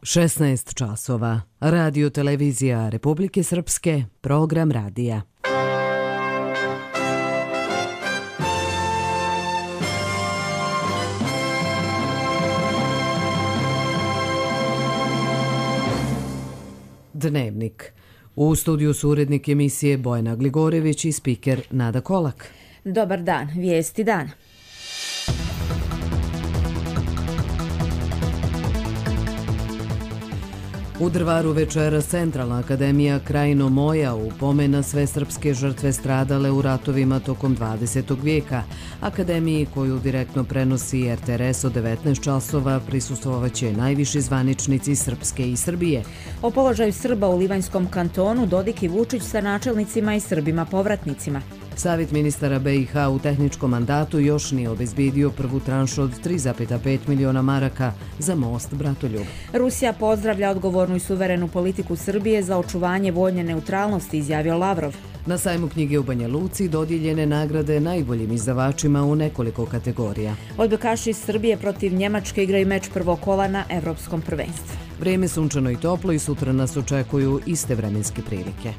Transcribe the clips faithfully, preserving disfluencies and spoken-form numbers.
šesnaest časova. Radio televizija Republike Srpske, program radija. Dnevnik. U studiju su urednik emisije Bojana Gligorević i spiker Nada Kolak. Dobar dan, vijesti dana. U Drvaru večeras Centralna akademija Krajino moja u pomen na sve srpske žrtve stradale u ratovima tokom dvadesetog vijeka. Akademiji koju direktno prenosi er te er es od devetnaest časova prisustvovaće najviši zvaničnici Srpske i Srbije. O položaju Srba u Livanjskom kantonu Dodik i Vučić sa načelnicima i Srbima povratnicima. Savjet ministara be i ha u tehničkom mandatu još nije obezbijedio prvu tranšu od tri zarez pet miliona maraka za most Bratoljub. Rusija pozdravlja odgovornu i suverenu politiku Srbije za očuvanje vojne neutralnosti, izjavio Lavrov. Na sajmu knjige u Banja Luci dodijeljene nagrade najboljim izdavačima u nekoliko kategorija. Odbojkaši Srbije protiv Njemačke igraju meč prvog kola na Evropskom prvenstvu. Vrijeme sunčano i toplo i sutra nas očekuju iste vremenske prilike.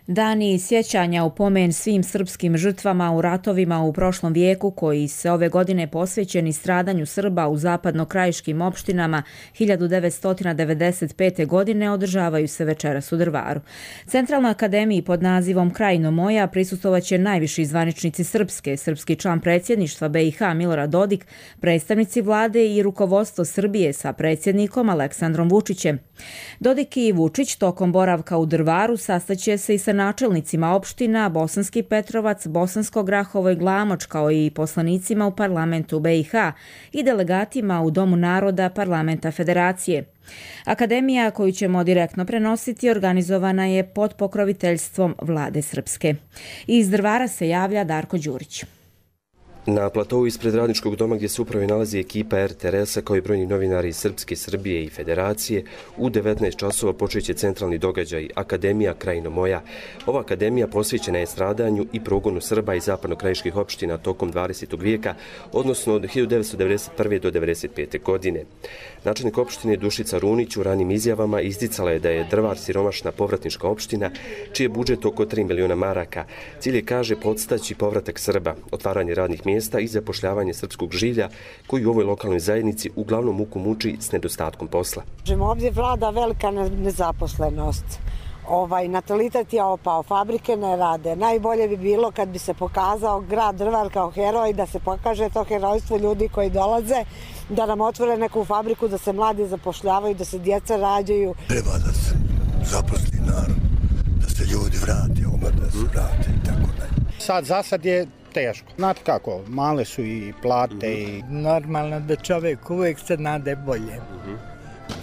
Dani sjećanja u pomen svim srpskim žrtvama u ratovima u prošlom vijeku koji se ove godine posvećeni stradanju Srba u zapadnokrajiškim opštinama hiljadu devetsto devedeset pete. godine održavaju se večeras u Drvaru. Centralna akademiji pod nazivom Krajino moja prisustvovaće najviši zvaničnici Srpske, srpski član predsjedništva be i ha Milorad Dodik, predstavnici vlade i rukovodstvo Srbije sa predsjednikom Aleksandrom Vučićem. Dodik i Vučić tokom boravka u Drvaru sastaće se i sa načelnicima opština Bosanski Petrovac, Bosansko Grahovo i Glamoč, kao i poslanicima u parlamentu be i ha i delegatima u Domu naroda parlamenta Federacije. Akademija koju ćemo direktno prenositi organizovana je pod pokroviteljstvom vlade Srpske. Iz Drvara se javlja Darko Đurić. Na platovu ispred Radničkog doma gdje se upravo nalazi ekipa er te er es-a kao i brojni novinari iz Srpske, Srbije i Federacije, u devetnaest časova počeće centralni događaj Akademija Krajino moja. Ova akademija posvećena je stradanju i progonu Srba iz zapadnokrajiških opština tokom dvadesetog vijeka, odnosno od hiljadu devetsto devedeset prve. do devedeset pete. godine. Načelnik opštine Dušica Runić u ranim izjavama isticala je da je Drvar siromašna povratnička opština, čiji je budžet oko tri miliona maraka. Cilj je, kaže, podstaći povratak Srba, otvaranje radnih mjesta i zapošljavanje srpskog žilja koji u ovoj lokalnoj zajednici uglavnom muku muči s nedostatkom posla. Ovdje vlada velika nezaposlenost. Ovaj, natalitet je opao, fabrike ne rade. Najbolje bi bilo kad bi se pokazao grad Drvar kao heroj, da se pokaže to herojstvo ljudi koji dolaze, da nam otvore neku fabriku, da se mladi zapošljavaju, da se djeca rađaju. Treba da se zaposli narod, da se ljudi vrate, omladne se vrate i tako dalje. Sad, za sad je teško. Znate kako, male su i plate i... Normalno da čovjek uvijek se nade bolje.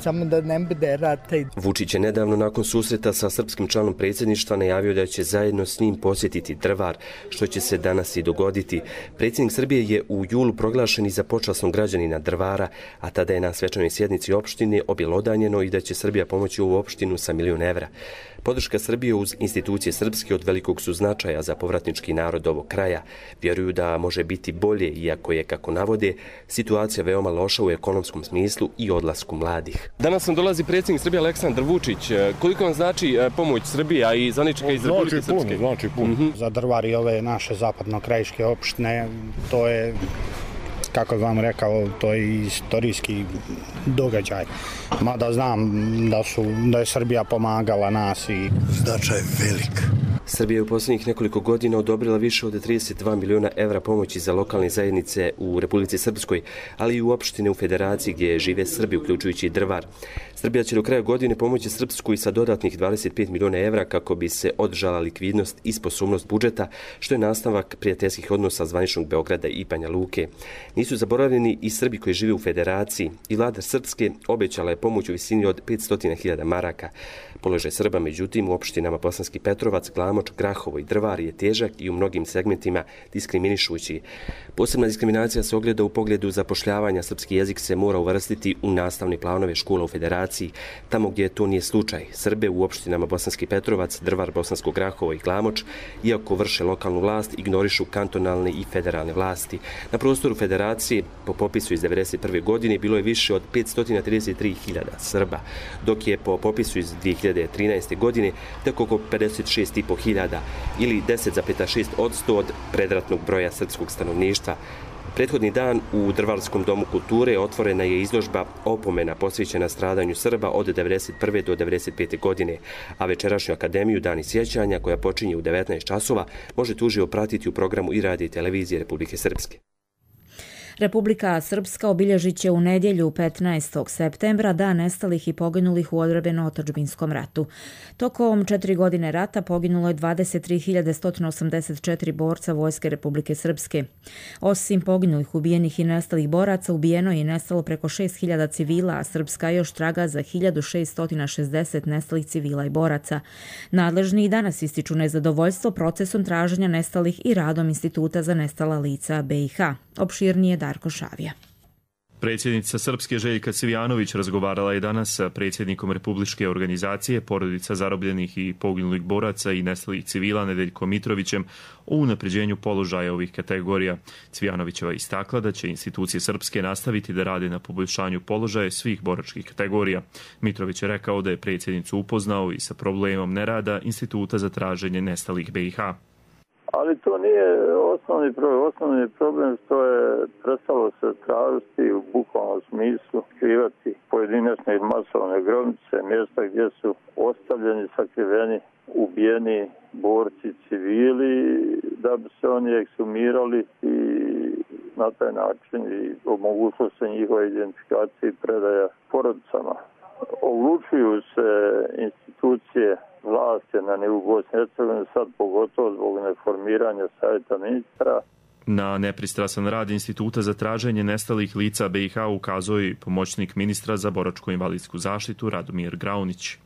Samo da ne bude rata. Vučić je nedavno nakon susreta sa srpskim članom predsjedništva najavio da će zajedno s njim posjetiti Drvar, što će se danas i dogoditi. Predsjednik Srbije je u julu proglašen i za počasnog građanina Drvara, a tada je na svečanoj sjednici opštine objelodanjeno i da će Srbija pomoći ovu opštinu sa milion evra. Podrška Srbije uz institucije srpske od velikog su značaja za povratnički narod ovog kraja. Vjeruju da može biti bolje, iako je, kako navode, situacija veoma loša u ekonomskom smislu i odlasku mladih. Danas nam dolazi predsjednik Srbije Aleksandar Vučić. Koliko vam znači pomoć Srbija i zvaničnika iz Republike Srpske? Znači puno. Mm-hmm. Za Drvar i ove naše zapadnokrajiške opštine, to je, kako vam rekao, to je istorijski događaj. Mada znam da, su, da je Srbija pomagala nas i... Značaj velik. Srbija je u posljednjih nekoliko godina odobrila više od trideset dva miliona evra pomoći za lokalne zajednice u Republici Srpskoj, ali i u opštine u Federaciji gdje žive Srbi, uključujući i Drvar. Srbija će do kraja godine pomoći Srpsku i sa dodatnih dvadeset pet miliona evra kako bi se održala likvidnost i sposobnost budžeta, što je nastavak prijateljskih odnosa zvaničnog Beograda i Banja Luke. Nisu zaboravljeni i Srbi koji žive u Federaciji i vlada Srpske obećala je pomoć u visini od petsto hiljada maraka. Položaj Srba, međutim, u opštinama Bosanski Petrovac, Glamoč Glamoč, Grahovo i Drvar je težak i u mnogim segmentima diskriminišući. Posebna diskriminacija se ogleda u pogledu zapošljavanja. Srpski jezik se mora uvrstiti u nastavne planove škola u Federaciji, tamo gdje to nije slučaj. Srbe u opštinama Bosanski Petrovac, Drvar, Bosansko Grahovo i Glamoč, iako vrše lokalnu vlast, ignorišu kantonalne i federalne vlasti. Na prostoru Federacije, po popisu iz devedeset prve. godine, bilo je više od petsto trideset tri hiljade Srba, dok je po popisu iz dvije hiljade trinaeste. godine tek oko pedeset šest i po hiljada ili deset zarez šest posto od predratnog broja srpskog stanovništva. Prethodni dan u Drvarskom domu kulture otvorena je izložba opomena posvećena stradanju Srba od devedeset prve. do devedeset pete. godine, a večerašnju akademiju Dani sjećanja, koja počinje u devetnaest časova, možete uživo pratiti u programu i radija i televizije Republike Srpske. Republika Srpska obilježit će u nedjelju petnaestog septembra dan nestalih i poginulih u odbrambeno-otadžbinskom ratu. Tokom četiri godine rata poginulo je dvadeset tri hiljade sto osamdeset četiri borca Vojske Republike Srpske. Osim poginulih, ubijenih i nestalih boraca, ubijeno je i nestalo preko šest hiljada civila, a Srpska još traga za hiljadu šeststo šezdeset nestalih civila i boraca. Nadležni i danas ističu nezadovoljstvo procesom traženja nestalih i radom Instituta za nestala lica B i H. Opširnije Darko Šavija. Predsjednica Srpske Željka Cvijanović razgovarala je danas sa predsjednikom Republičke organizacije Porodica zarobljenih i poginulih boraca i nestalih civila Nedeljkom Mitrovićem o unapređenju položaja ovih kategorija. Cvijanovićeva istakla da će institucije Srpske nastaviti da rade na poboljšanju položaja svih boračkih kategorija. Mitrović je rekao da je predsjednicu upoznao i sa problemom nerada Instituta za traženje nestalih B i H. Ali to nije osnovni problem. Osnovni problem što je prestalo se tražiti u bukvalnom smislu, skrivati pojedinačne i masovne grobnice, mjesta gdje su ostavljeni, sakriveni, ubijeni borci, civili, da bi se oni eksumirali i na taj način i omogućilo se njihova identifikacija i predaja porodicama. Oglučuju se institucije vlasti na nivou Bosne i Hercegovine, sad pogotovo zbog neformiranja savjeta ministra. Na nepristrasan rad Instituta za traženje nestalih lica B i H ukazao je pomoćnik ministra za boračko-invalidsku zaštitu Radomir Graunić.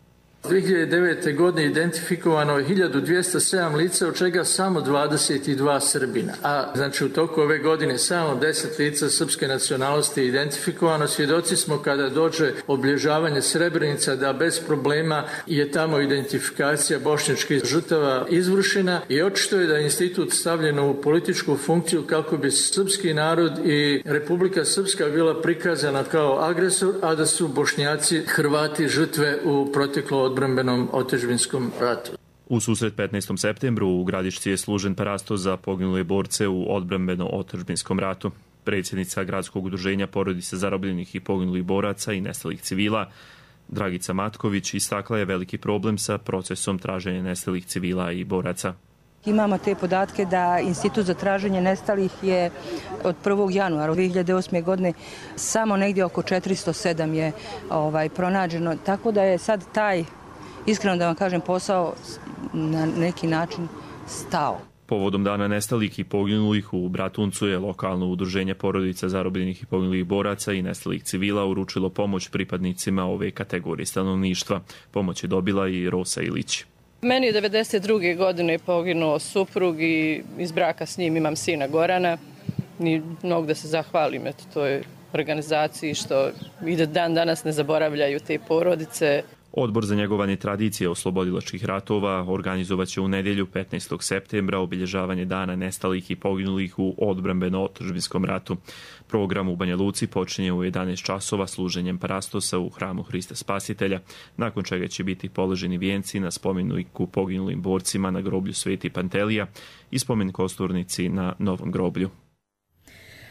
dvije hiljade devete. godine identifikovano je hiljadu dvjesto sedam lica, od čega samo dvadeset dva Srbina. A znači u toku ove godine samo deset lica srpske nacionalnosti je identifikovano. Svjedoci smo kada dođe obilježavanje Srebrenica da bez problema je tamo identifikacija bošnjačkih žrtava izvršena i očito je da je institut stavljen u političku funkciju kako bi srpski narod i Republika Srpska bila prikazana kao agresor, a da su Bošnjaci, Hrvati žrtve u proteklom odbrambenom otadžbinskom ratu. U susret petnaestog septembru u Gradišci je služen parastos za poginule borce u odbrambeno-otadžbinskom ratu. Predsjednica Gradskog udruženja Porodice zarobljenih i poginulih boraca i nestalih civila Dragica Matković istakla je veliki problem sa procesom traženja nestalih civila i boraca. Imamo te podatke da Institut za traženje nestalih je od prvog januara dvije hiljade osme. godine samo negdje oko četiristo sedam je ovaj, pronađeno, tako da je sad taj, iskreno da vam kažem, posao na neki način stao. Povodom dana nestalih i poginulih u Bratuncu je lokalno udruženje Porodica zarobljenih i poginulih boraca i nestalih civila uručilo pomoć pripadnicima ove kategorije stanovništva. Pomoć je dobila i Rosa Ilić. Meni je devedeset druge. godine poginuo suprug i iz braka s njim imam sina Gorana. I mogu da se zahvalim eto, toj organizaciji što i da dan danas ne zaboravljaju te porodice. Odbor za njegovanje tradicije oslobodilačkih ratova organizovaće u nedjelju petnaestog septembra obilježavanje dana nestalih i poginulih u odbrambeno-otadžbinskom ratu. Program u Banja Luci počinje u jedanaest časova služenjem parastosa u hramu Hrista Spasitelja, nakon čega će biti položeni vijenci na spomeniku poginulim borcima na groblju Sveti Pantelija i spomen kosturnici na Novom groblju.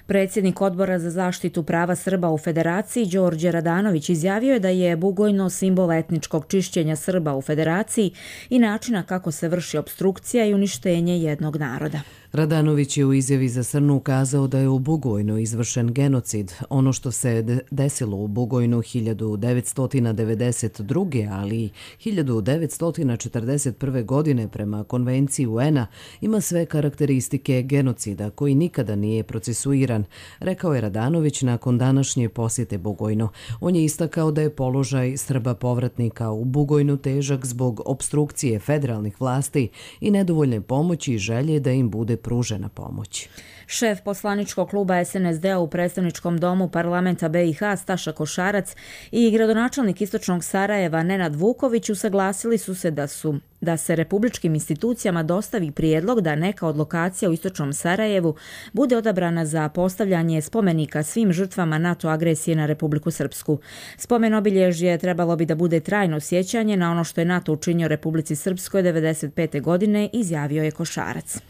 Predsjednik Odbora za zaštitu prava Srba u Federaciji Đorđe Radanović izjavio je da je Bugojno simbol etničkog čišćenja Srba u Federaciji i načina kako se vrši opstrukcija i uništenje jednog naroda. Radanović je u izjavi za Srnu ukazao da je u Bugojnu izvršen genocid. Ono što se desilo u Bugojnu hiljadu devetsto devedeset druge. ali i hiljadu devetsto četrdeset prve. godine prema konvenciji U N-a ima sve karakteristike genocida koji nikada nije procesuiran, rekao je Radanović nakon današnje posjete Bugojnu. On je istakao da je položaj Srba povratnika u Bugojnu težak zbog opstrukcije federalnih vlasti i nedovoljne pomoći i želje da im bude pružena pomoć. Šef poslaničkog kluba S N S D-a u predstavničkom domu parlamenta B i H Staša Košarac i gradonačelnik Istočnog Sarajeva Nenad Vuković usaglasili su se da su da se republičkim institucijama dostavi prijedlog da neka od lokacija u Istočnom Sarajevu bude odabrana za postavljanje spomenika svim žrtvama NATO agresije na Republiku Srpsku. Spomen obilježje trebalo bi da bude trajno sjećanje na ono što je NATO učinio Republici Srpskoj devedeset pete. godine, izjavio je Košarac.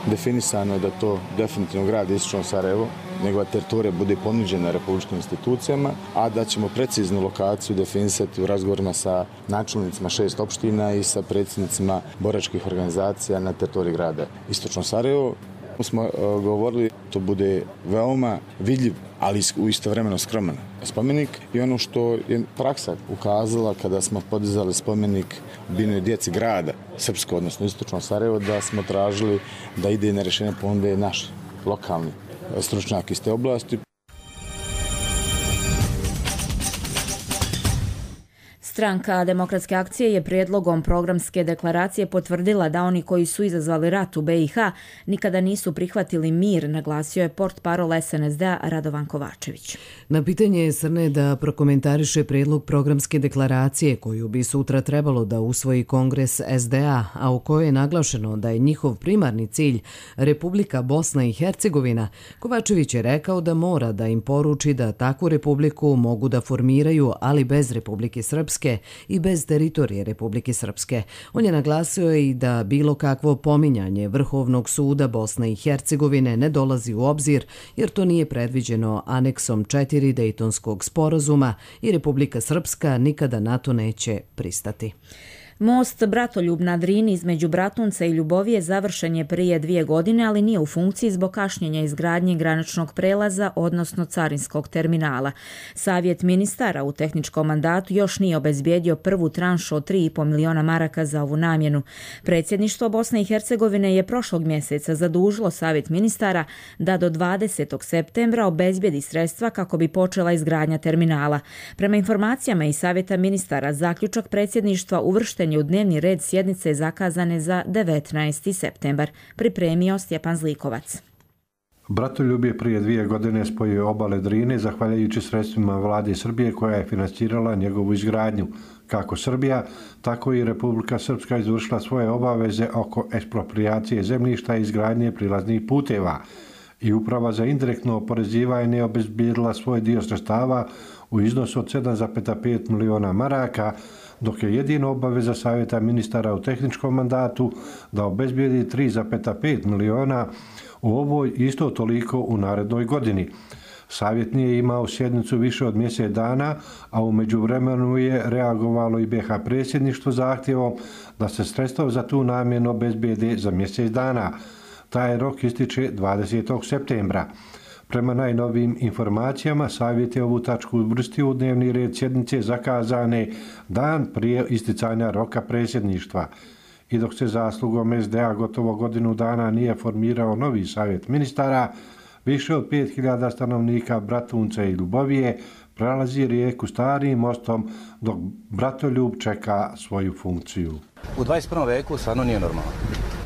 Definisano je da to definitivno grad Istočno Sarajevo, njegova teritorija bude ponuđena republičkim institucijama, a da ćemo preciznu lokaciju definisati u razgovorima sa načelnicima šest opština i sa predsjednicima boračkih organizacija na teritoriji grada Istočno Sarajevo. Smo uh, govorili to bude veoma vidljiv, ali u istovremeno skroman spomenik i ono što je praksa ukazala kada smo podizali spomenik binoj djeci grada Srpsko, odnosno Istočno Sarajevo, da smo tražili da ide na rješenje ponude naš lokalni stručnjak iz te oblasti. Stranka Demokratske akcije je prijedlogom programske deklaracije potvrdila da oni koji su izazvali rat u B i H nikada nisu prihvatili mir, naglasio je portparol S N S D-a Radovan Kovačević. Na pitanje Srne da prokomentariše prijedlog programske deklaracije koju bi sutra trebalo da usvoji Kongres S D A, a u kojoj je naglašeno da je njihov primarni cilj Republika Bosna i Hercegovina, Kovačević je rekao da mora da im poruči da takvu republiku mogu da formiraju, ali bez Republike Srpske i bez teritorije Republike Srpske. On je naglasio i da bilo kakvo pominjanje Vrhovnog suda Bosne i Hercegovine ne dolazi u obzir jer to nije predviđeno aneksom četiri Dejtonskog sporazuma i Republika Srpska nikada na to neće pristati. Most Bratoljub na Drini između Bratunca i Ljubovije završen je prije dvije godine, ali nije u funkciji zbog kašnjenja izgradnje graničnog prelaza, odnosno carinskog terminala. Savjet ministara u tehničkom mandatu još nije obezbijedio prvu tranšu od tri i pol miliona maraka za ovu namjenu. Predsjedništvo Bosne i Hercegovine je prošlog mjeseca zadužilo Savjet ministara da do dvadesetog septembra obezbijedi sredstva kako bi počela izgradnja terminala. Prema informacijama iz Savjeta ministara, zaključak predsjedništva uvršten u dnevni red sjednice zakazane za devetnaesti septembar, pripremio Stjepan Zlikovac. Bratoljub je prije dvije godine spojio obale Drine zahvaljujući sredstvima vlade Srbije koja je financirala njegovu izgradnju. Kako Srbija, tako i Republika Srpska izvršila svoje obaveze oko eksproprijacije zemljišta i izgradnje prilaznih puteva. I Uprava za indirektno oporezivanje obezbijedila svoj dio sredstava u iznosu od sedam zarez pet miliona maraka, dok je jedina obaveza Savjeta ministara u tehničkom mandatu da obezbijedi tri zarez pet miliona u ovoj isto toliko u narednoj godini. Savjet nije imao sjednicu više od mjesec dana, a u međuvremenu je reagovalo i B H predsjedništvo zahtjevom da se sredstva za tu namjenu obezbijede za mjesec dana. Taj rok ističe dvadesetog septembra. Prema najnovijim informacijama, Savjet je ovu tačku uvrstio u dnevni red sjednice zakazane dan prije isticanja roka predsjedništva. I dok se zaslugom S D A gotovo godinu dana nije formirao novi Savjet ministara, više od pet hiljada stanovnika Bratunca i Ljubovije prelazi rijeku Starim mostom dok Bratoljub čeka svoju funkciju. U dvadeset prvom veku stvarno nije normalno,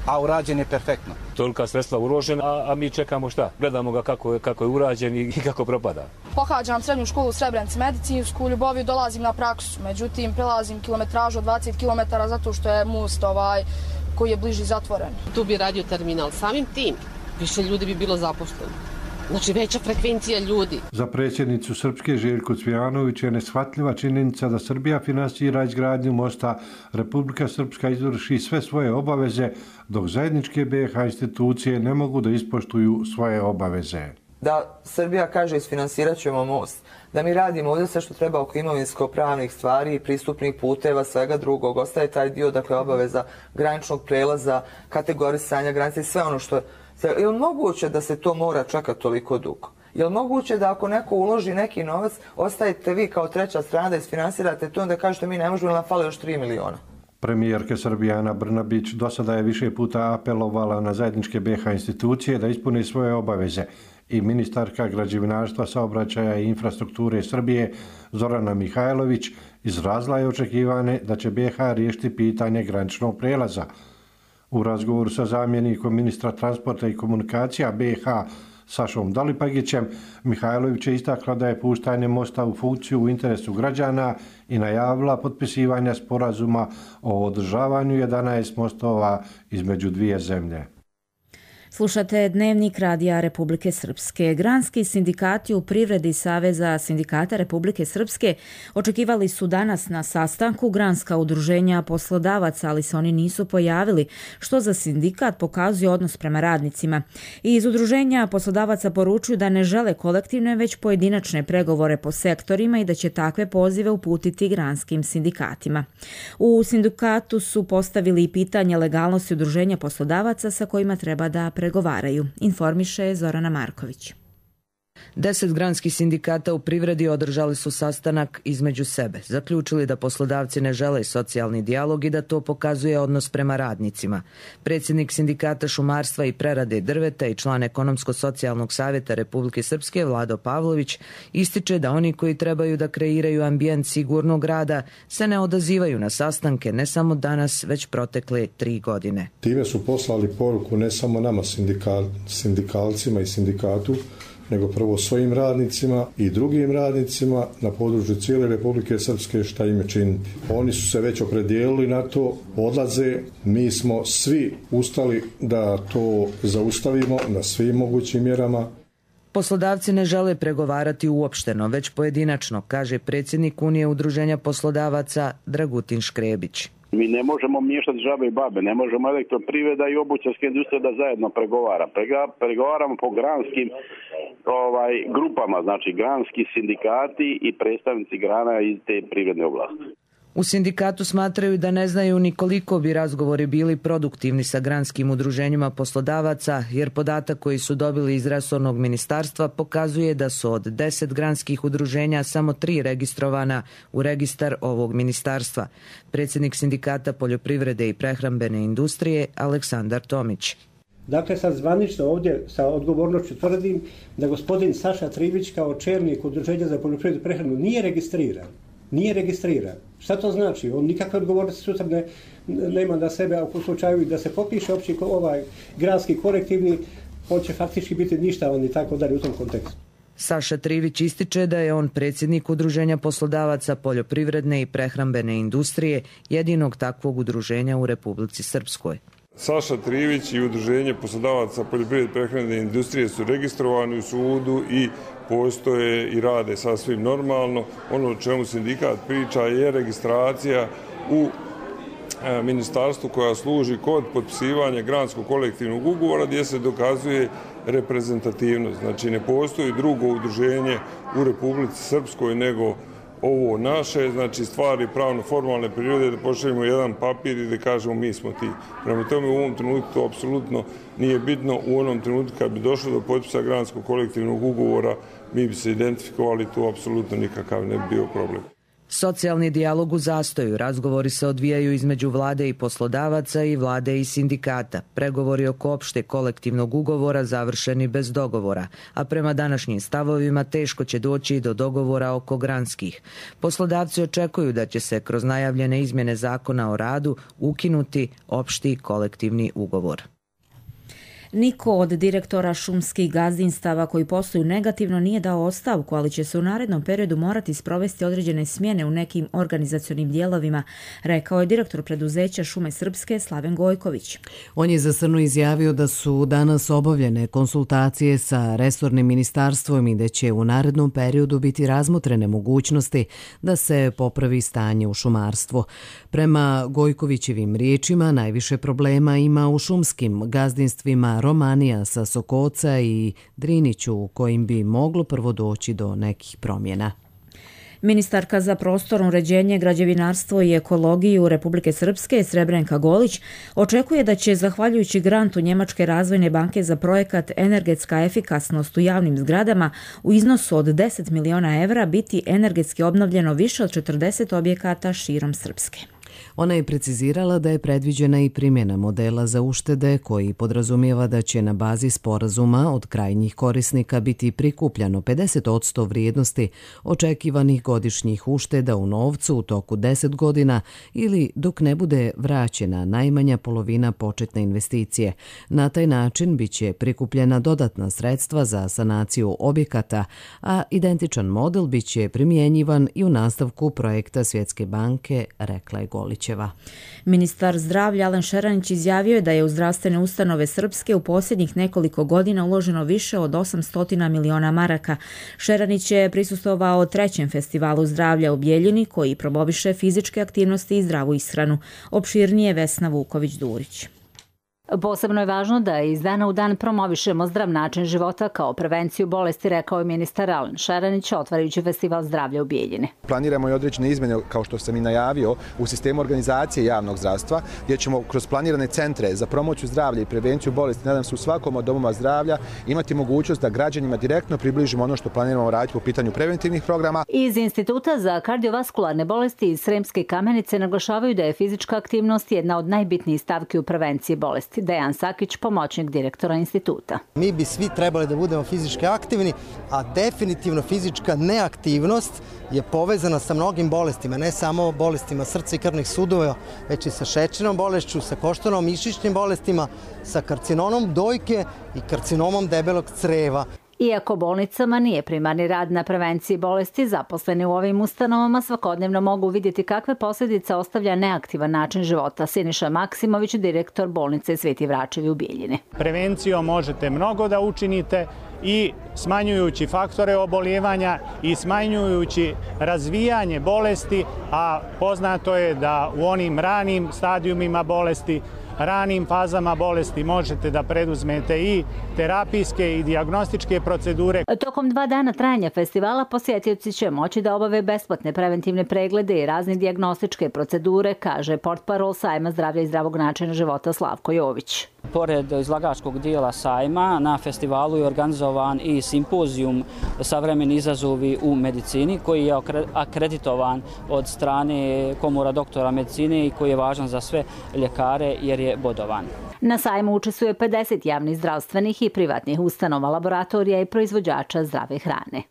a urađen je perfektno. Tolika sredstva uložena, a, a mi čekamo šta? Gledamo ga kako je, kako je urađen i, i kako propada. Pohađam srednju školu u Srebrenici, medicinsku, u Ljuboviju dolazim na praksu, međutim prelazim kilometražu od dvadeset kilometara zato što je most ovaj, koji je bliži zatvoren. Tu bi radio terminal, samim tim više ljudi bi bilo zaposleno. Znači veća frekvencija ljudi. Za predsjednicu Srpske Željku Cvijanović je neshvatljiva činjenica da Srbija finansira izgradnju mosta, Republika Srpska izvrši sve svoje obaveze, dok zajedničke B iH institucije ne mogu da ispoštuju svoje obaveze. da Srbija kaže isfinansirat ćemo most, da mi radimo ovdje sve što treba oko imovinsko-pravnih stvari, pristupnih puteva, svega drugog, ostaje taj dio, dakle, obaveza graničnog prelaza, kategorisanja granice i sve ono što je. Je li moguće da se to mora čekati toliko dugo? Je li moguće da ako neko uloži neki novac, ostajete vi kao treća strana da isfinansirate to, onda kažete mi ne možemo, nam fale još tri miliona? Premijerka Srbije Ana Brnabić do sada je više puta apelovala na zajedničke B iH institucije da ispune svoje obaveze i ministarka građevinarstva, saobraćaja i infrastrukture Srbije Zorana Mihajlović izrazila je očekivane da će B iH riješiti pitanje graničnog prelaza. U razgovoru sa zamjenikom ministra transporta i komunikacija B iH Sašom Dalipagićem, Mihajlović je istakla da je puštanje mosta u funkciju u interesu građana i najavila potpisivanje sporazuma o održavanju jedanaest mostova između dvije zemlje. Slušate Dnevnik Radija Republike Srpske. Granski sindikati u privredi Saveza sindikata Republike Srpske očekivali su danas na sastanku granska udruženja poslodavaca, ali se oni nisu pojavili, što za sindikat pokazuje odnos prema radnicima. I iz udruženja poslodavaca poručuju da ne žele kolektivne, već pojedinačne pregovore po sektorima i da će takve pozive uputiti granskim sindikatima. U sindikatu su postavili i pitanje legalnosti udruženja poslodavaca sa kojima treba da pregovaraju, informiše Zorana Marković. Deset granskih sindikata u privredi održali su sastanak između sebe. Zaključili da poslodavci ne žele socijalni dijalog i da to pokazuje odnos prema radnicima. Predsjednik sindikata šumarstva i prerade drveta i član Ekonomsko-socijalnog savjeta Republike Srpske Vlado Pavlović ističe da oni koji trebaju da kreiraju ambijent sigurnog rada se ne odazivaju na sastanke ne samo danas, već protekle tri godine. Time su poslali poruku ne samo nama sindikal, sindikalcima i sindikatu, nego prvo svojim radnicima i drugim radnicima na području cijele Republike Srpske šta im je činiti. Oni su se već opredijelili na to, odlaze, mi smo svi ustali da to zaustavimo na svim mogućim mjerama. Poslodavci ne žele pregovarati uopšteno, već pojedinačno, kaže predsjednik Unije udruženja poslodavaca Dragutin Škrebić. Mi ne možemo miješati žabe i babe, ne možemo elektroprivreda i obućarska industrija da zajedno pregovara. Pregovaramo po granskim ovaj, grupama, znači granski sindikati i predstavnici grana iz te privredne oblasti. U sindikatu smatraju da ne znaju ni koliko bi razgovori bili produktivni sa granskim udruženjima poslodavaca, jer podatak koji su dobili iz resornog ministarstva pokazuje da su od deset granskih udruženja samo tri registrovana u registar ovog ministarstva. Predsjednik sindikata poljoprivrede i prehrambene industrije Aleksandar Tomić. Dakle, sad zvanično ovdje sa odgovornošću tvrdim da gospodin Saša Trivić kao čelnik udruženja za poljoprivredu i prehranu nije registriran. Nije registriran. Šta to znači? On nikakve odgovornosti sutra ne, nema na sebe, a u slučaju da se popiše opći ovaj granski kolektivni, on će faktički biti ništavan i tako dalje u tom kontekstu. Saša Trivić ističe da je on predsjednik udruženja poslodavaca poljoprivredne i prehrambene industrije, jedinog takvog udruženja u Republici Srpskoj. Saša Trivić i udruženje poslodavaca poljoprivredne i prehrambene industrije su registrovani u sudu i postoje i rade sasvim normalno. Ono o čemu sindikat priča je registracija u e, ministarstvu koja služi kod potpisivanja granskog kolektivnog ugovora gdje se dokazuje reprezentativnost. Znači ne postoji drugo udruženje u Republici Srpskoj nego ovo naše, znači stvari pravno formalne prirode da pošaljemo jedan papir i da kažemo mi smo ti. Prema tome u ovom trenutku to apsolutno nije bitno. U onom trenutku kad bi došlo do potpisa granskog kolektivnog ugovora mi bi se identifikovali, tu apsolutno nikakav ne bi bio problem. Socijalni dijalog u zastoju, razgovori se odvijaju između vlade i poslodavaca i vlade i sindikata. Pregovori oko opšte kolektivnog ugovora završeni bez dogovora, a prema današnjim stavovima teško će doći i do dogovora oko granskih. Poslodavci očekuju da će se kroz najavljene izmjene zakona o radu ukinuti opšti kolektivni ugovor. Niko od direktora šumskih gazdinstava koji posluju negativno nije dao ostavku, ali će se u narednom periodu morati sprovesti određene smjene u nekim organizacionim dijelovima, rekao je direktor preduzeća Šume Srpske Slaven Gojković. On je za Srnu izjavio da su danas obavljene konsultacije sa resornim ministarstvom i da će u narednom periodu biti razmotrene mogućnosti da se popravi stanje u šumarstvu. Prema Gojkovićevim riječima, najviše problema ima u šumskim gazdinstvima na Romanija sa Sokoca i Driniću u kojim bi moglo prvo doći do nekih promjena. Ministarka za prostorno uređenje, građevinarstvo i ekologiju Republike Srpske Srebrenka Golić očekuje da će, zahvaljujući grantu Njemačke razvojne banke za projekat Energetska efikasnost u javnim zgradama u iznosu od deset miliona evra, biti energetski obnovljeno više od četrdeset objekata širom Srpske. Ona je precizirala da je predviđena i primjena modela za uštede koji podrazumijeva da će na bazi sporazuma od krajnjih korisnika biti prikupljano pedeset posto vrijednosti očekivanih godišnjih ušteda u novcu u toku deset godina ili dok ne bude vraćena najmanja polovina početne investicije. Na taj način biće prikupljena dodatna sredstva za sanaciju objekata, a identičan model biće primjenjivan i u nastavku projekta Svjetske banke, rekla je Golićeva. Ministar zdravlja Alen Šeranić izjavio je da je u zdravstvene ustanove Srpske u posljednjih nekoliko godina uloženo više od osamsto miliona maraka. Šeranić je prisustvovao trećem festivalu zdravlja u Bijeljini koji promoviše fizičke aktivnosti i zdravu ishranu. Opširnije Vesna Vuković-Durić. Posebno je važno da iz dana u dan promovišemo zdrav način života kao prevenciju bolesti, rekao je ministar Alen Šeranić, otvarajući festival zdravlja u Bijeljini. Planiramo i određene izmjene, kao što sam i najavio, u sistemu organizacije javnog zdravstva, gdje ćemo kroz planirane centre za promociju zdravlja i prevenciju bolesti, nadam se u svakom od domova zdravlja, imati mogućnost da građanima direktno približimo ono što planiramo raditi po pitanju preventivnih programa. Iz Instituta za kardiovaskularne bolesti iz Sremske Kamenice naglašavaju da je fizička aktivnost jedna od najbitnijih stavki u prevenciji bolesti. Dejan Sakić, pomoćnik direktora instituta. Mi bi svi trebali da budemo fizički aktivni, a definitivno fizička neaktivnost je povezana sa mnogim bolestima, ne samo bolestima srca i krvnih sudova, već i sa šećernom bolešću, sa koštanom mišićnim bolestima, sa karcinomom dojke i karcinomom debelog creva. Iako bolnicama nije primarni rad na prevenciji bolesti, zaposleni u ovim ustanovama svakodnevno mogu vidjeti kakve posljedice ostavlja neaktivan način života. Siniša Maksimović, direktor bolnice Sveti Vračevi u Bijeljini. Prevencijom možete mnogo da učinite i smanjujući faktore oboljevanja i smanjujući razvijanje bolesti, a poznato je da u onim ranim stadijumima bolesti, ranim fazama bolesti možete da preduzmete i terapijske i dijagnostičke procedure. Tokom dva dana trajanja festivala posjetioci će moći da obave besplatne preventivne preglede i razne dijagnostičke procedure, kaže portparol Sajma zdravlja i zdravog načina života Slavko Jović. Pored izlagačkog dijela sajma, na festivalu je organizovan i simpozijum Savremeni izazovi u medicini, koji je akreditovan od strane Komora doktora medicine i koji je važan za sve ljekare jer je bodovan. Na sajmu učestvuje pedeset javnih zdravstvenih i privatnih ustanova, laboratorija i proizvođača zdrave hrane.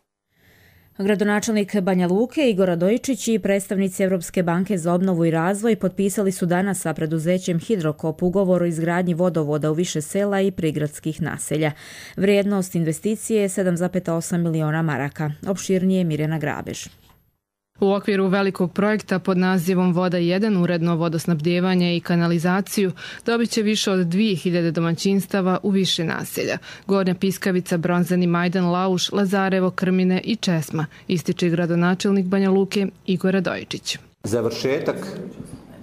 Gradonačelnik Banja Luke Igor Radojičić i predstavnici Europske banke za obnovu i razvoj potpisali su danas sa preduzećem Hidrokop ugovor o izgradnji vodovoda u više sela i prigradskih naselja. Vrijednost investicije je sedam zarez osam miliona maraka. Opširnije Mirjana Grabež. U okviru velikog projekta pod nazivom Voda jedan, uredno vodosnabdjevanje i kanalizaciju, dobit će više od dvije hiljade domaćinstava u više naselja. Gornja Piskavica, Bronzani Majdan, Lauš, Lazarevo, Krmine i Česma, ističe gradonačelnik Banja Luke Igor Radojičić. Završetak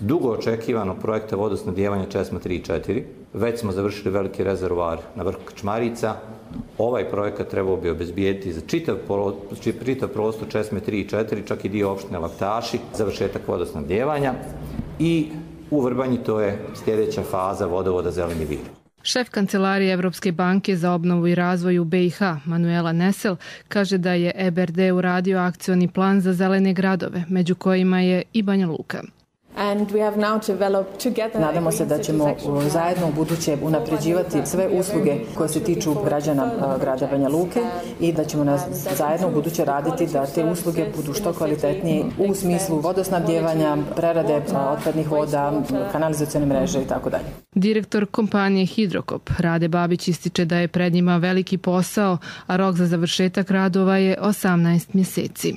dugo očekivanog projekta vodosnabdjevanja Česma tri i četiri. Već smo završili veliki rezervoar na vrhu Krčmarica. Ovaj projekat trebao bi obezbijediti za čitav, čitav prostor Česme tri i četiri, čak i dio opštine Laktaši, završetak vodosnabdjevanja i u Vrbanji to je sljedeća faza vodovoda Zeleni vir. Šef Kancelarije Evropske banke za obnovu i razvoj u B i H, Manuela Nesel, kaže da je E B R D uradio akcioni plan za zelene gradove, među kojima je i Banja Luka. Nadamo se da ćemo zajedno u buduće unapređivati sve usluge koje se tiču građana grada Banja Luke i da ćemo nas zajedno u buduće raditi da te usluge budu što kvalitetnije u smislu vodosnabdjevanja, prerade otpadnih voda, kanalizacione mreže i tako dalje. Direktor kompanije Hidrokop Rade Babić ističe da je pred njima veliki posao, a rok za završetak radova je osamnaest mjeseci.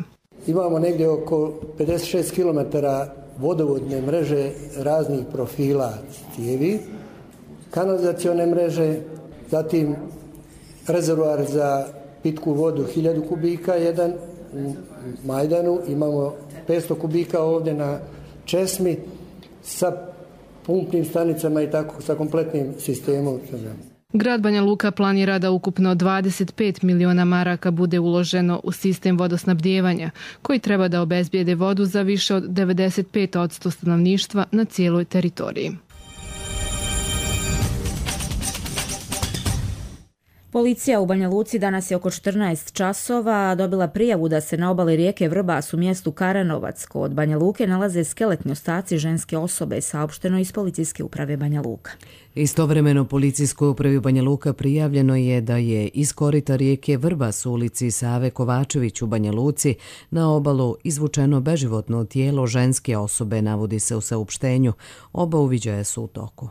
Imamo negdje oko pedeset šest kilometara vodovodne mreže raznih profila cijevi, kanalizacione mreže, zatim rezervoar za pitku vodu hiljadu kubika, jedan u Majdanu, imamo petsto kubika ovdje na Česmi sa pumpnim stanicama i tako sa kompletnim sistemom. Grad Banja Luka planira da ukupno dvadeset pet miliona maraka bude uloženo u sistem vodosnabdijevanja, koji treba da obezbijede vodu za više od devedeset pet posto stanovništva na cijeloj teritoriji. Policija u Banja Luci danas je oko četrnaest časova dobila prijavu da se na obali rijeke Vrbas u mjestu Karanovac kod Banja Luke nalaze skeletni ostaci ženske osobe, saopšteno iz policijske uprave Banja Luka. Istovremeno policijskoj upravi Banja Luka prijavljeno je da je iz korita rijeke Vrbas u ulici Save Kovačević u Banja Luci na obalu izvučeno beživotno tijelo ženske osobe, navodi se u saopštenju. Oba uviđaja su u toku.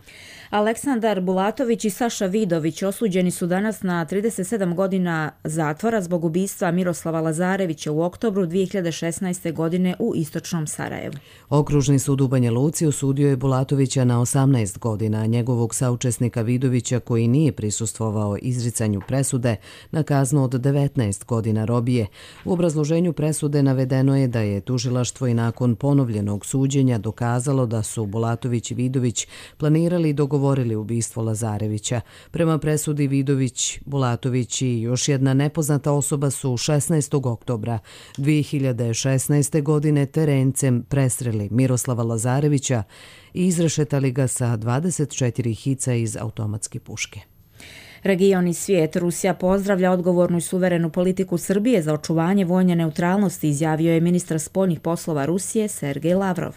Aleksandar Bulatović i Saša Vidović osuđeni su danas na trideset sedam godina zatvora zbog ubistva Miroslava Lazarevića u oktobru dvije hiljade šesnaeste. godine u istočnom Sarajevu. Okružni sud u Banja Luci osudio je Bulatovića na osamnaest godina, a njegovog saučesnika Vidovića, koji nije prisustvovao izricanju presude, na kaznu od devetnaest godina robije. U obrazloženju presude navedeno je da je tužilaštvo i nakon ponovljenog suđenja dokazalo da su Bulatović i Vidović planirali i dogovorili ubistvo Lazarevića. Prema presudi Vidović, Bulatović i još jedna nepoznata osoba su šesnaestog oktobra dvije hiljade šesnaeste. godine terencem presreli Miroslava Lazarevića i izrešetali ga sa dvadeset četiri hica iz automatske puške. Region i svijet. Rusija pozdravlja odgovornu i suverenu politiku Srbije za očuvanje vojne neutralnosti, izjavio je ministar spoljnih poslova Rusije Sergej Lavrov.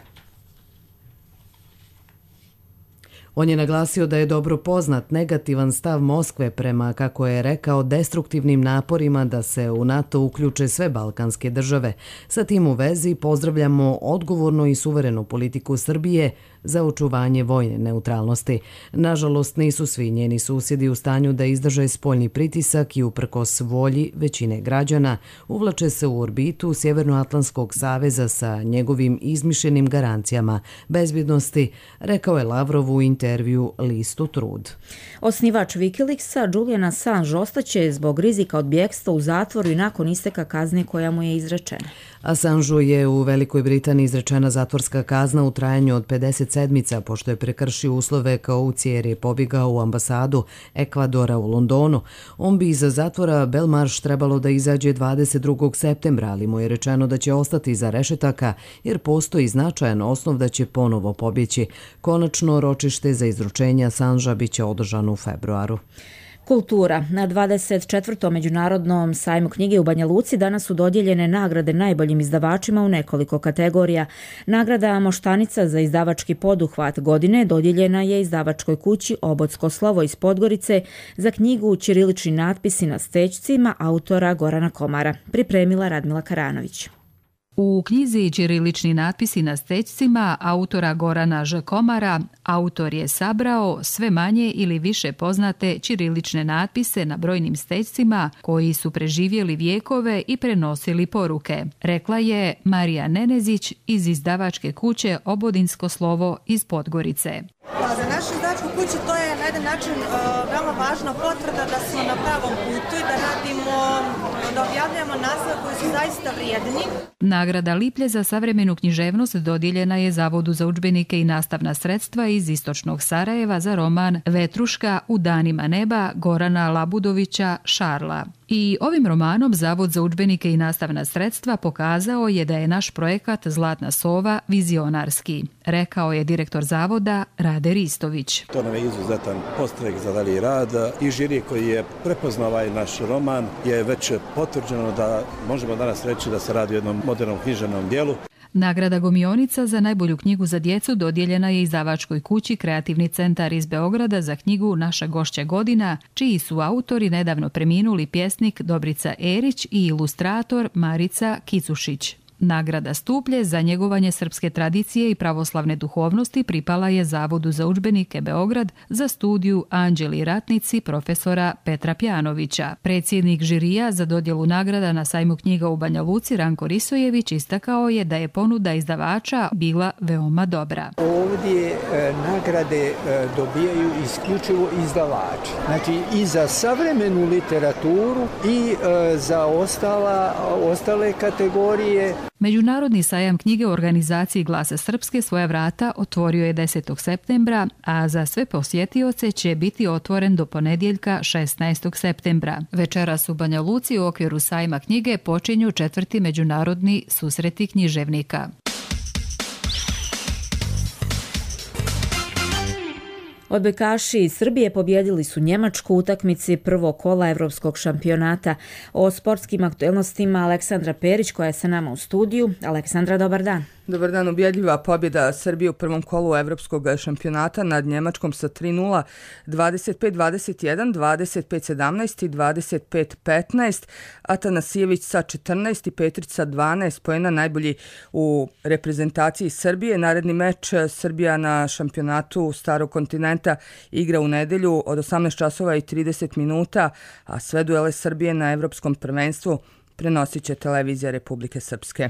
On je naglasio da je dobro poznat negativan stav Moskve prema, kako je rekao, destruktivnim naporima da se u NATO uključe sve balkanske države. Sa tim u vezi pozdravljamo odgovornu i suverenu politiku Srbije za očuvanje vojne neutralnosti. Nažalost, nisu svi njeni susjedi u stanju da izdrže spoljni pritisak i uprkos volji većine građana uvlače se u orbitu Sjevernoatlantskog saveza sa njegovim izmišljenim garancijama bezbjednosti, rekao je Lavrov u intervju listu Trud. Osnivač Wikileaksa Julian Assange ostaće zbog rizika od bjegstva u zatvoru i nakon isteka kazne koja mu je izrečena. Assangeu je u Velikoj Britaniji izrečena zatvorska kazna u trajanju od pedeset sedmica, pošto je prekršio uslove kaucije jer je pobjegao u ambasadu Ekvadora u Londonu. On bi iza zatvora Belmarsh trebalo da izađe dvadeset drugog septembra, ali mu je rečeno da će ostati iza rešetaka jer postoji značajan osnov da će ponovo pobjeći. Konačno ročište za izručenje Assangea biće održano u februaru. Kultura. Na dvadeset četvrtom međunarodnom sajmu knjige u Banja Luci danas su dodijeljene nagrade najboljim izdavačima u nekoliko kategorija. Nagrada Moštanica za izdavački poduhvat godine dodijeljena je izdavačkoj kući Obodsko slovo iz Podgorice za knjigu Ćirilični natpisi na stećcima autora Gorana Komara. Pripremila Radmila Karanović. U knjizi Ćirilični natpisi na stećcima autora Gorana Ž. Komara autor je sabrao sve manje ili više poznate ćirilične natpise na brojnim stećcima koji su preživjeli vijekove i prenosili poruke, rekla je Marija Nenezić iz izdavačke kuće Obodinsko slovo iz Podgorice. Za našu izdavačku kuću to je na jedan način uh, veoma važna potvrda da smo na pravom putu i da radimo, da objavljamo naslove koji su zaista vrijedni. Nagrada Liplje za savremenu književnost dodijeljena je Zavodu za udžbenike i nastavna sredstva iz istočnog Sarajeva za roman Vetruška u danima neba Gorana Labudovića Šarla. I ovim romanom Zavod za udžbenike i nastavna sredstva pokazao je da je naš projekat Zlatna sova vizionarski, rekao je direktor zavoda Rade Ristović. To nam je izuzetan podstrek za dalji rad i žiri koji je prepoznao ovaj naš roman je već potvrđeno da možemo danas reći da se radi o jednom modernom književnom dijelu. Nagrada Gomionica za najbolju knjigu za djecu dodijeljena je izdavačkoj kući Kreativni centar iz Beograda za knjigu Naša gošća godina, čiji su autori nedavno preminuli pjesnik Dobrica Erić i ilustrator Marica Kicušić. Nagrada Stuplje za njegovanje srpske tradicije i pravoslavne duhovnosti pripala je Zavodu za udžbenike Beograd za studiju Anđeli ratnici profesora Petra Pjanovića. Predsjednik žirija za dodjelu nagrada na sajmu knjiga u Banja Luci Ranko Risojević istakao je da je ponuda izdavača bila veoma dobra. ovdje nagrade dobijaju isključivo izdavači. Znači i za savremenu literaturu i za ostala, ostale kategorije. Međunarodni sajam knjige u organizaciji Glasa Srpske svoja vrata otvorio je desetog septembra, a za sve posjetioce će biti otvoren do ponedjeljka šesnaestog septembra. Večeras u Banja Luci u okviru sajma knjige počinju četvrti međunarodni susreti književnika. Odbojkaši iz Srbije pobjedili su Njemačku u utakmici prvog kola Evropskog šampionata. O sportskim aktualnostima Aleksandra Perić koja je sa nama u studiju. Aleksandra, dobar dan. Dobar dan, ubjedljiva pobjeda Srbije u prvom kolu Evropskog šampionata nad Njemačkom sa tri nula, dvadeset pet dvadeset jedan, dvadeset pet sedamnaest i dvadeset pet petnaest. Atanasijević sa četrnaest i Petrić sa dvanaest poena najbolji u reprezentaciji Srbije. Naredni meč Srbija na šampionatu Starog kontinenta igra u nedelju od osamnaest časova i trideset minuta, a sve duele Srbije na Evropskom prvenstvu prenosit će televizija Republike Srpske.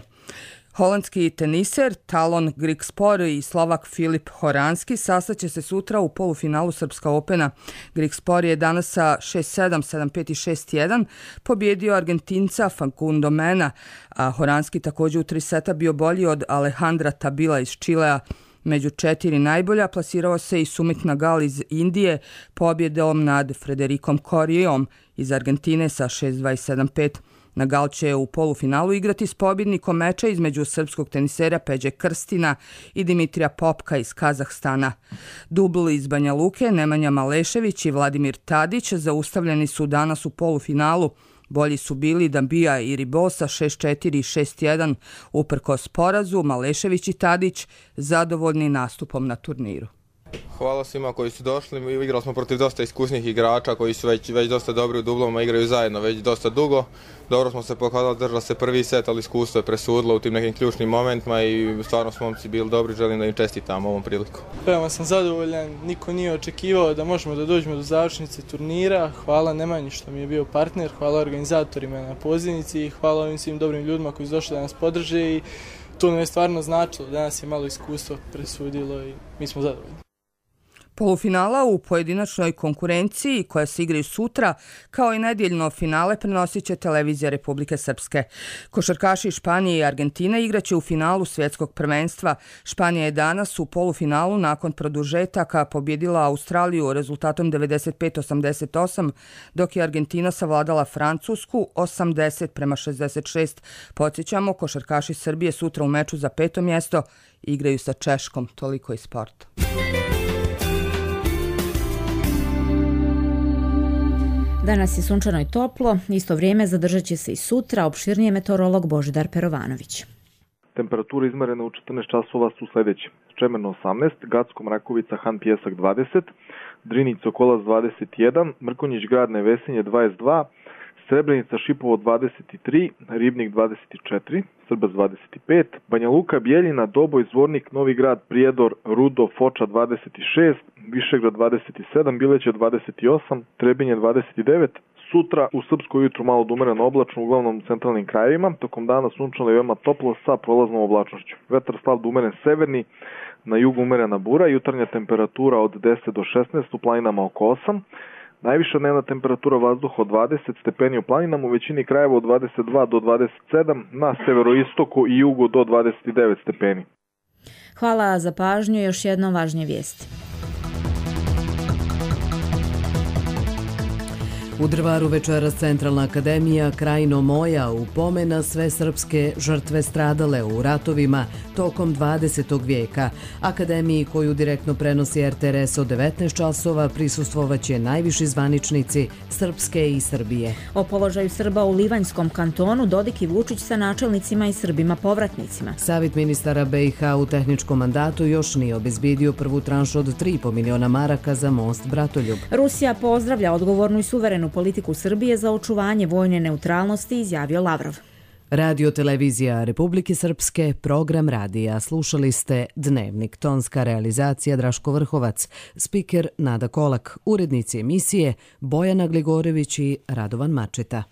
Holandski teniser Talon Grigspor i Slovak Filip Horanski sastaće se sutra u polufinalu Srpska Opena. Grigspor je danas sa šest sedam, sedam pet i šest jedan pobjedio Argentinca Facundo Mena, a Horanski također u tri seta bio bolji od Alejandra Tabila iz Čilea. Među četiri najbolja plasirao se i Sumit Nagal iz Indije pobjedom nad Frederikom Corijom iz Argentine sa šest dva i sedam pet. Nagal će u polufinalu igrati s pobjednikom meča između srpskog tenisera Peđe Krstina i Dimitrija Popka iz Kazahstana. Dubl iz Banja Luke, Nemanja Malešević i Vladimir Tadić zaustavljeni su danas u polufinalu. Bolji su bili Dambija i Ribosa šest četiri i šest jedan uprkos porazu. Malešević i Tadić zadovoljni nastupom na turniru. Hvala svima koji su došli. Igrali smo protiv dosta iskusnih igrača koji su već, već dosta dobri u dublovima, igraju zajedno već dosta dugo. Dobro smo se pokazali, držali se prvi set, ali iskustvo je presudilo u tim nekim ključnim momentima i stvarno smo momci bili dobri. Želim da im čestitam ovom priliku. Veoma sam zadovoljan, niko nije očekivao da možemo da dođemo do završnice turnira. Hvala Nemanji što mi je bio partner, hvala organizatorima na pozivnici i hvala ovim svim dobrim ljudima koji su došli da nas podrže i to nam je stvarno značilo. Danas je malo iskustvo presudilo i mi smo zadovoljni. Polufinala u pojedinačnoj konkurenciji koja se igraju sutra, kao i nedjeljno finale, prenosit će televizija Republike Srpske. Košarkaši Španije i Argentine igraće u finalu svjetskog prvenstva. Španija je danas u polufinalu nakon produžetaka pobjedila Australiju rezultatom devedeset pet osamdeset osam, dok je Argentina savladala Francusku osamdeset prema šezdeset šest. Podsjećamo, košarkaši Srbije sutra u meču za peto mjesto igraju sa Češkom. Toliko iz sporta. Danas je sunčano i toplo, isto vrijeme zadržat će se i sutra, opširnije meteorolog Božidar Perovanović. Temperature izmerene u četrnaest časova su sljedeće. Čemerno osamnaest, Gacko Mrakovica Han Pjesak dvadeset, Drinić Sokolac dvadeset jedan, Mrkonjić Grad Nevesinje dvadeset dva, Srebrenica Šipovo dvadeset tri, Ribnik dvadeset četiri, Srbac dvadeset pet, Banja Luka Bijeljina, Doboj, Zvornik, Novi Grad, Prijedor, Rudo, Foča dvadeset šest, Višegrad dvadeset sedam, Bileće dvadeset osam, Trebinje dvadeset devet. Sutra u Srpsko jutru malo umereno oblačno, uglavnom u centralnim krajevima, tokom dana sunčano i veoma toplo sa prolaznom oblačnošću. Vetar slab do umeren severni, na jugu umerena bura, jutarnja temperatura od deset do šesnaest, u planinama oko osam. Najviša dnevna temperatura vazduha od dvadeset stepeni u planinama, u većini krajeva od dvadeset dva do dvadeset sedam, na severoistoku i jugu do dvadeset devet stepeni. Hvala za pažnju i još jedno važnije vijesti. U Drvaru večeras Centralna akademija Krajino moja u pomen na sve srpske žrtve stradale u ratovima tokom dvadesetog vijeka. Akademiji koju direktno prenosi R T R S od devetnaest časova prisustvovaće najviši zvaničnici Srpske i Srbije. O položaju Srba u Livanjskom kantonu Dodik i Vučić sa načelnicima i Srbima povratnicima. Savjet ministara B i H u tehničkom mandatu još nije obezbijedio prvu tranšu od tri i po miliona maraka za most Bratoljub. Rusija pozdravlja odgovornu i suverenu politiku Srbije za očuvanje vojne neutralnosti, izjavio Lavrov. Radio televizija Republike Srpske, program radija. Slušali ste Dnevnik, tonska realizacija Draško Vrhovac, spiker Nada Kolak, urednici emisije Bojana Gligorević i Radovan Mačeta.